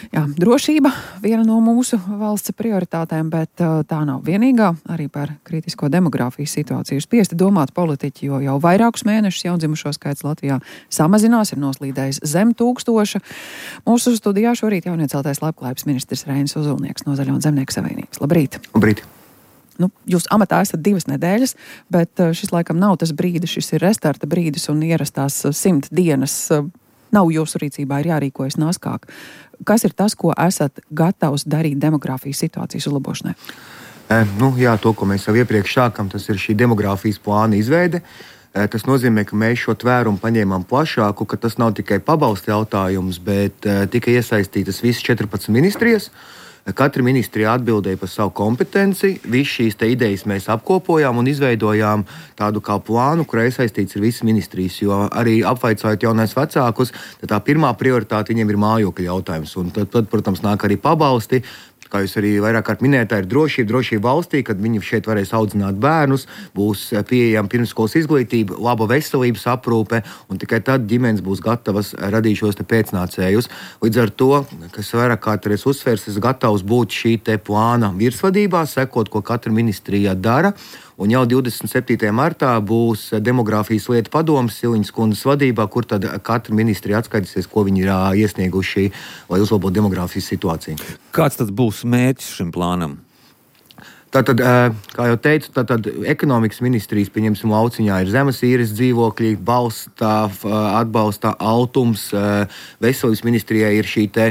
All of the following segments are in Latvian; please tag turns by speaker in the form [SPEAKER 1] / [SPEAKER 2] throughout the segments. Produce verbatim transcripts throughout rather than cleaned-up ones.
[SPEAKER 1] Jā, drošība viena no mūsu valsts prioritātēm, bet tā nav vienīgā. Arī par kritisko demogrāfijas situāciju spiesti domāt politiķi, jo jau vairākus mēnešus jaundzimušo skaits Latvijā samazinās, ir noslīdējis zem tūkstoša. Mūsu studijā šorīt jaunieceltais labklājības ministrs Reinis Ozolnieks no Zaļo un Zemnieku savienības. Labrīt!
[SPEAKER 2] Labrīt!
[SPEAKER 1] Nu, jūs amatā esat divas nedēļas, bet šis laikam nav tas brīdis, šis ir restarta brīdis un ierastās simt dienas nav jūsu rīcībā, ir jārīkojas naskāk. Kas ir tas, ko esat gatavs darīt demogrāfijas situācijas uzlabošanai?
[SPEAKER 2] E, nu, jā, to, ko mēs jau iepriekš sākam, tas ir šī demogrāfijas plāna izveide. E, tas nozīmē, ka mēs šo tvērumu paņēmām plašāku, ka tas nav tikai pabalsta jautājums, bet e, tika iesaistītas visas četrpadsmit ministrijas. Katra ministrija atbildēja par savu kompetenci. Visas šīs idejas mēs apkopojām un izveidojām tādu kā plānu, kurā iesaistīts ir visas ministrijas. Jo arī apvaicājot jaunais vecākus, tad tā pirmā prioritāte viņiem ir mājokļa jautājums. Un tad, tad, protams, nāk arī pabalsti. Kā jūs arī vairāk kārt minējāt, tā ir drošība, drošība valstī, kad viņi šeit varēs audzināt bērnus, būs pieejama pirmsskolas izglītība, laba veselības aprūpe, un tikai tad ģimenes būs gatavas radīt šos te pēcnācējus. Līdz ar to, kas vairāk kārt arī uzsvers, es gatavs būt šī te plāna virsvadībā, sekot, ko katra ministrija dara. Un jau divdesmit septītajā martā būs demogrāfijas lietu padomes Siliņas kundzes vadībā, kur tad katra ministrija atskaitīsies, ko viņi ir iesnieguši, lai uzlabotu demogrāfijas situāciju.
[SPEAKER 3] Kāds tad būs mērķis šim plānam?
[SPEAKER 2] Tātad, kā jau teicu, tātad ekonomikas ministrijas, pieņemsim, lauciņā ir zemes īres dzīvokļi, balstā, atbalstā altums, veselības ministrijai ir šī te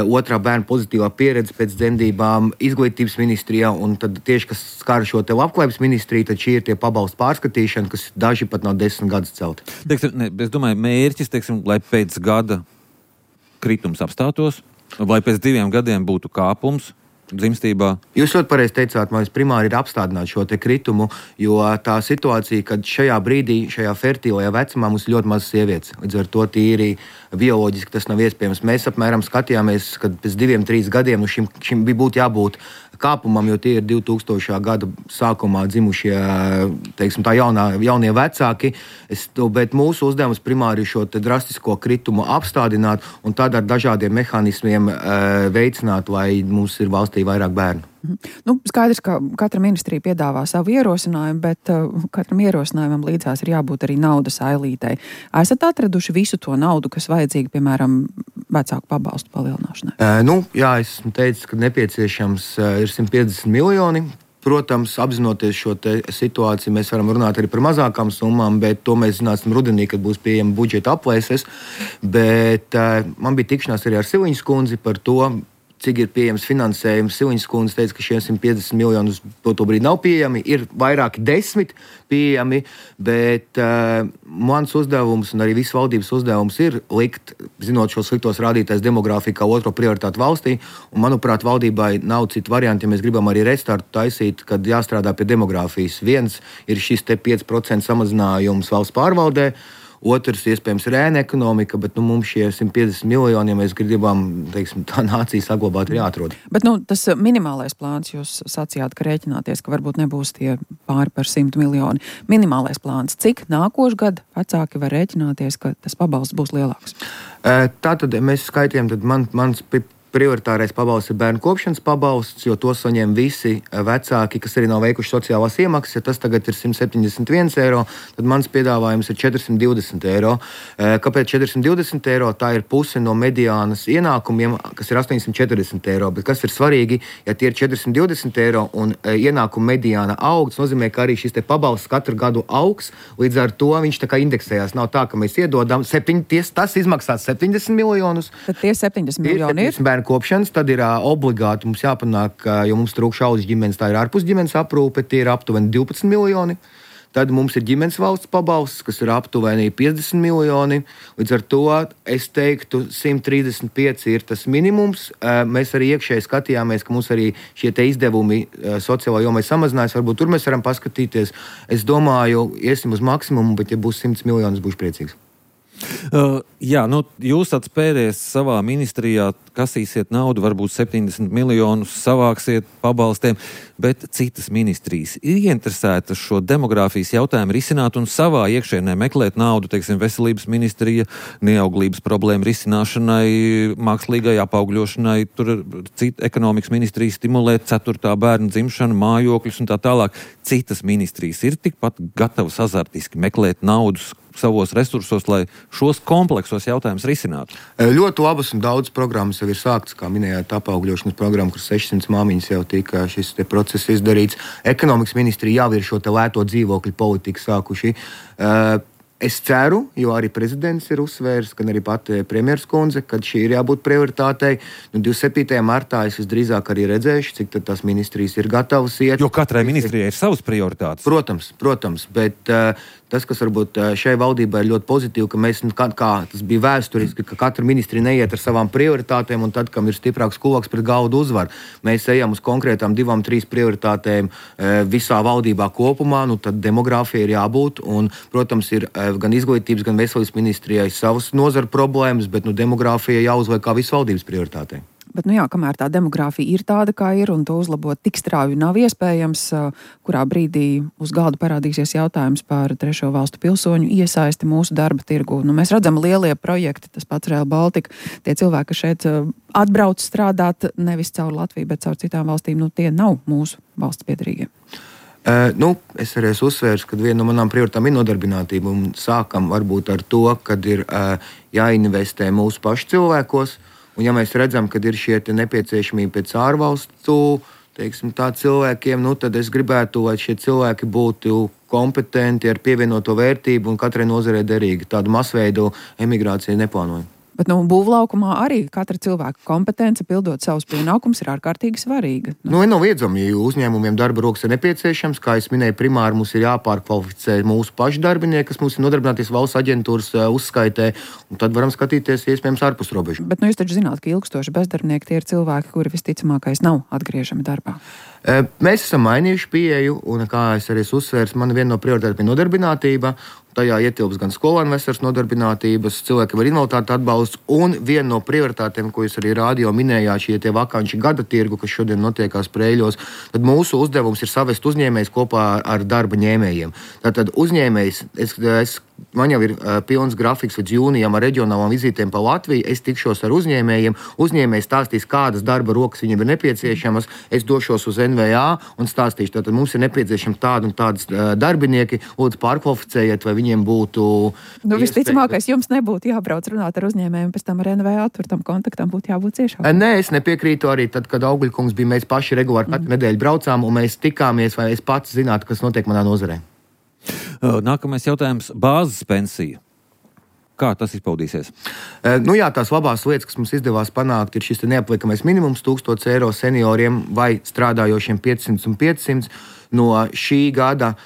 [SPEAKER 2] otrā bērna pozitīvā pieredze pēc dzemdībām, izglītības ministrijā, un tad tieši, kas skar šo te labklājības ministriju, tad šī ir tie pabalstu pārskatīšana, kas daži pat nav desmit gadus celti.
[SPEAKER 3] Teiksim, ne, es domāju, mērķis, teiksim, lai pēc gada kritums apstātos, vai pēc diviem gadiem būtu kāpums dzimstībā.
[SPEAKER 2] Jūs ļoti pareizi teicāt, man primāri ir apstādināt šo te kritumu, jo tā situācija, kad šajā brīdī, šajā fertīlajā vecumā mums ir ļoti maz sievietes. Līdz ar to tīri bioloģiski tas nav iespējams. Mēs apmēram skatījāmies, kad pēc diviem, trīs gadiem nu šim, šim bija būtu jābūt kāpumam, jo tie ir divtūkstošā gada sākumā dzimušie, teiksim, tā jaunā, jaunie vecāki. Es, bet mūsu uzdevums primāri ir šo te drastisko kritumu apstādināt un tad ar dažādiem mehānismiem e, veicināt, lai mums ir valstī vairāk bērnu.
[SPEAKER 1] Nu, skaidrs, ka katra ministrija piedāvā savu ierosinājumu, bet uh, katram ierosinājumam līdzās ir jābūt arī naudas ailītei. Esat atraduši visu to naudu, kas vajadzīga, piemēram, vecāku pabalstu palielināšanai?
[SPEAKER 2] E, nu, jā, es esmu teicis, ka nepieciešams uh, ir simt piecdesmit miljoni. Protams, apzinoties šo te situāciju, mēs varam runāt arī par mazākām summām, bet to mēs zināsim rudenī, kad būs pieejama budžeta aplēses. Bet uh, man bija tikšanās arī ar Siliņas kundzi par to, cik ir pieejams finansējums. Siliņas kundze teica, ka šie simt piecdesmit miljonus to, to brīdi nav pieejami. Ir vairāki desmit pieejami, bet uh, mans uzdevums un arī visas valdības uzdevums ir likt, zinot šos sliktos rādītājus demogrāfiju kā otro prioritātu valstī. Un, manuprāt, valdībai nav citu variantu, ja mēs gribam arī restartu taisīt, kad jāstrādā pie demogrāfijas. Viens ir šis te pieci procenti samazinājums valsts pārvaldē. Otrs, iespējams, ir ēna ekonomika, bet nu, mums šie simt piecdesmit miljoni, ja mēs gribam, teiksim, tā nācija saglabāt, ir jāatrod.
[SPEAKER 1] Bet nu, tas minimālais plāns, jūs sacījāt, ka rēķināties, ka varbūt nebūs tie pāri par simt miljoni. Minimālais plāns, cik nākošu gadu vecāki var rēķināties, ka tas pabalsts būs lielāks?
[SPEAKER 2] Tātad mēs skaitījām, tad man, mans prioritārais pabalsts ir bērnu kopšanas pabalsts, jo to saņem visi vecāki, kas arī nav veikuši sociālās iemaksas. Ja tas tagad ir simt septiņdesmit viens eiro, tad mans piedāvājums ir četrsimt divdesmit eiro. Kāpēc četrsimt divdesmit eiro? Tā ir puse no mediānas ienākumiem, kas ir astoņsimt četrdesmit eiro. Bet kas ir svarīgi, ja tie ir četrsimt divdesmit eiro un ienākuma mediāna aug, tas nozīmē, ka arī šis te pabalsts katru gadu augs, līdz ar to viņš tā kā indeksējās. Nav tā, ka mēs iedodam, septiņ, ties, tas izmaksās septiņdesmit miljonus.
[SPEAKER 1] Tad tie septiņdesmit miljoni ir?
[SPEAKER 2] Kopšanas, tad ir uh, obligāti mums jāpanāk, uh, jo mums trūkst šauļas ģimenes, tā ir ārpus ģimenes aprūpe, tie ir aptuveni divpadsmit miljoni. Tad mums ir ģimenes valsts pabalsts, kas ir aptuveni piecdesmit miljoni. Līdz ar to es teiktu, simt trīsdesmit pieci ir tas minimums. Uh, mēs arī iekšēji skatījāmies, ka mums arī šie te izdevumi uh, sociālā jomai samazinājās. Varbūt tur mēs varam paskatīties. Es domāju, iesim uz maksimumu, bet ja būs simts miljonus, būšu priecīgs.
[SPEAKER 3] Uh, jā, nu, jūs atspēries savā ministrijā, kasīsiet naudu, varbūt septiņdesmit miljonus savāksiet pabalstiem, bet citas ministrijas ir ieinteresētas šo demogrāfijas jautājumu risināt un savā iekšēnē meklēt naudu, teiksim, veselības ministrija, neauglības problēmu risināšanai, mākslīgai apaugļošanai, tur cita ekonomikas ministrija stimulēt ceturtā bērna dzimšanu, mājokļus un tā tālāk. Citas ministrijas ir tikpat gatavas azartiski meklēt naudus savos resursos, lai šos kompleksos jautājumus risinātu?
[SPEAKER 2] Ļoti labas un daudz programmas jau ir sāktas, kā minējāt, apaugļošanas programma, kur sešsimt māmiņas jau tika šis te process izdarīts. Ekonomikas ministrija jau ir šo te lēto dzīvokļu politiku sākuši. Es ceru, jo arī prezidents ir uzsvērs, gan arī pati premjeras kundze, ka šī ir jābūt prioritātei. Nu, divdesmit septītajā martā es visdrīzāk arī redzēšu, cik tad tās ministrijas ir gatavas iet.
[SPEAKER 3] Jo katrai ministrijai ir savas prioritātes.
[SPEAKER 2] Protams, protams, bet uh, tas, kas varbūt šai valdībai ir ļoti pozitīvi, ka mēs, kā, kā tas bija vēsturiski, ka katra ministrija neiet ar savām prioritātēm un tad, kam ir stiprāks kulaks pret galdu uzvar. Mēs ejam uz konkrētām divām, trīs prioritātēm uh, visā valdībā kopumā, nu tad demogrāfija ir jābūt un, protams, ir uh, gan izglītības, gan veselības ministrijai savas nozara problēmas, bet nu, demogrāfija jāuzliek kā visu valdības prioritātei.
[SPEAKER 1] Bet, nu jā, kamēr tā demogrāfija ir tāda, kā ir, un to uzlabot tik strauji nav iespējams, kurā brīdī uz galda parādīsies jautājums par trešo valstu pilsoņu iesaisti mūsu darba tirgu. Nu, mēs redzam lielie projekti, tas pats Rail Baltica, tie cilvēki, kas šeit atbrauc strādāt nevis caur Latviju, bet caur citām valstīm, nu tie nav mūsu valsts piederīgie.
[SPEAKER 2] Uh, nu, es arī esmu uzsvērs, ka viena no manām prioritātēm ir nodarbinātība, un sākam varbūt ar to, kad ir uh, jāinvestē mūsu pašu cilvēkos, un ja mēs redzam, ka ir šie nepieciešamība pēc ārvalstu, teiksim, tā cilvēkiem, nu, tad es gribētu, lai šie cilvēki būtu kompetenti ar pievienoto vērtību un katrai nozarei derīgi. Tādu masveidu emigrāciju neplānoju.
[SPEAKER 1] Bet nu, būvlaukumā arī katra cilvēka kompetence pildot savus pienākumus ir ārkārtīgi svarīga.
[SPEAKER 2] Nu, nu nav iedzami, ja uzņēmumiem darba rokas ir nepieciešams. Kā es minēju, primāri mums ir jāpārkvalificē mūsu pašu darbinieki, kas mums ir nodarbināties valsts aģentūras uzskaitē, un tad varam skatīties iespējams ārpus robežu.
[SPEAKER 1] Bet nu, jūs taču zināt, ka ilgstoši bezdarbnieki tie ir cilvēki, kuri visticamākais nav atgriežami darbā.
[SPEAKER 2] Mēs esam mainījuši pieeju, un kā es arī uzsvērs, man viena no prioritātēm ir nodarbinātība. Tajā ietilps gan skolēnu veselas nodarbinātības, cilvēkiem ar invaliditāti atbalsts, un viena no prioritātēm, ko jūs arī rādio minējāt, šie tie vakanči gada tirgu, kas šodien notiekās Preiļos, tad mūsu uzdevums ir savest uzņēmējs kopā ar darba ņēmējiem. Tātad uzņēmējs, es, es, man jau ir uh, pilns grafiks līdz jūnijam ar reģionālām vizītēm pa Latviju, es tikšos ar uzņēmējiem, uzņēmējs stāstīs, kādas darba rokas viņiem ir nepieciešamas, es došos uz N V A un stāstīšu, tātad mums ir nepieciešami tādi un tādas uh, darbinieki, lūdzu pārkvalificējiet, vai viņiem būtu...
[SPEAKER 1] Nu, visticamākais jums nebūtu jābrauc runāt ar uzņēmējiem, pēc tam ar N V A, tur tam kontaktam būtu jābūt ciešāk.
[SPEAKER 2] Nē, es nepiekrītu arī tad, kad Augļkungs bija, mēs paši regulāri katru mm. nedēļu braucām, un mēs tikāmies, vai es pats zinātu, kas notiek manā nozarē.
[SPEAKER 3] Nākamais jautājums - bāzes pensija. Kā tas izpaudīsies?
[SPEAKER 2] Nu jā, tās labās lietas, kas mums izdevās panākt, ir šis neapliekamais minimums tūkstoš eiro senioriem vai strādājošiem piecsimt un piecsimt. No šī gada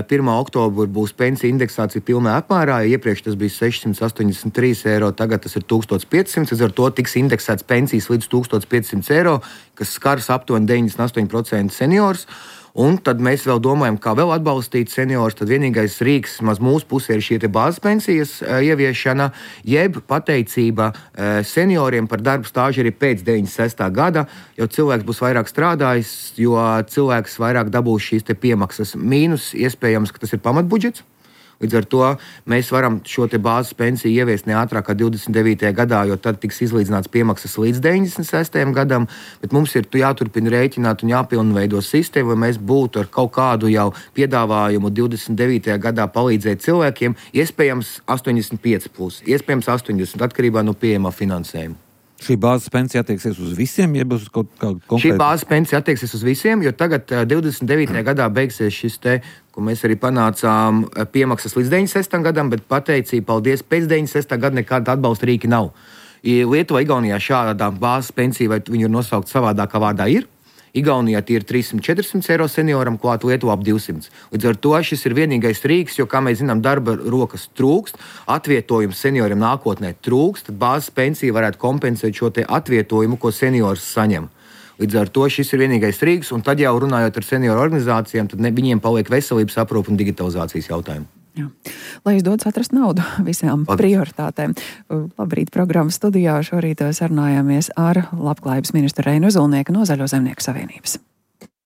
[SPEAKER 2] pirmā oktobra būs pensija indeksācija pilnā apmērā. Iepriekš tas bija sešsimt astoņdesmit trīs eiro, tagad tas ir tūkstoš piecsimt. Līdz ar to tiks indeksēts pensijas līdz tūkstoš piecsimt eiro, kas skars aptuveni deviņdesmit astoņi procenti seniors. Un tad mēs vēl domājam, kā vēl atbalstīt seniorus. Tad vienīgais rīks, maz mūsu pusē, ir šī bāzes pensijas uh, ieviešana, jeb pateicība uh, senioriem par darbu stāžu arī pēc deviņdesmit sestā gada, jo cilvēks būs vairāk strādājis, jo cilvēks vairāk dabūs šīs te piemaksas. Mīnus iespējams, ka tas ir pamatbudžets. Līdz ar to mēs varam šo te bāzes pensiju ieviest ne ātrāk kā divdesmit devītajā gadā, jo tad tiks izlīdzināts piemaksas līdz deviņdesmit sestajam gadam, bet mums ir jāturpina rēķināt un jāpilnveido sistēmu, lai mēs būtu ar kaut kādu jau piedāvājumu divdesmit devītajā gadā palīdzēt cilvēkiem, iespējams astoņdesmit pieci plus, iespējams astoņdesmit, atkarībā no pieejamā finansējuma.
[SPEAKER 3] Šī bāzes pensija attieksies uz visiem, jeb uz kaut kādu konkrētu?
[SPEAKER 2] Šī bāzes pensija attieksies uz visiem, jo tagad divdesmit devītajā gadā beigsies šis te, ko mēs arī panācām, piemaksas līdz deviņdesmit sestajam gadam, bet pateicība, paldies, pēc deviņdesmit sestā gada nekāda atbalsta rīki nav. Lietuvā, Igaunijā šādā bāzes pensija, vai viņu ir nosaukt savādākā vārdā, ir. Igaunijā tie ir trīssimt četrsimt eiro senioram, klāt Lietuvā ap divsimt. Līdz ar to šis ir vienīgais rīks, jo, kā mēs zinām, darba rokas trūkst, atvietojums senioriem nākotnē trūkst, tad bāzes pensija varētu kompensēt šo te atvietojumu, ko seniors saņem. Līdz ar to šis ir vienīgais rīks, un tad jau runājot ar senioru organizācijām, tad ne, viņiem paliek veselības aprūpe un digitalizācijas jautājumi.
[SPEAKER 1] Jā. Lai izdodas atrast naudu visām
[SPEAKER 2] Paldies.
[SPEAKER 1] prioritātēm. Labrīt, programmas studijā šorīt sarunājāmies ar labklājības ministru Reinu Ozolnieku no Zaļo zemnieku savienības.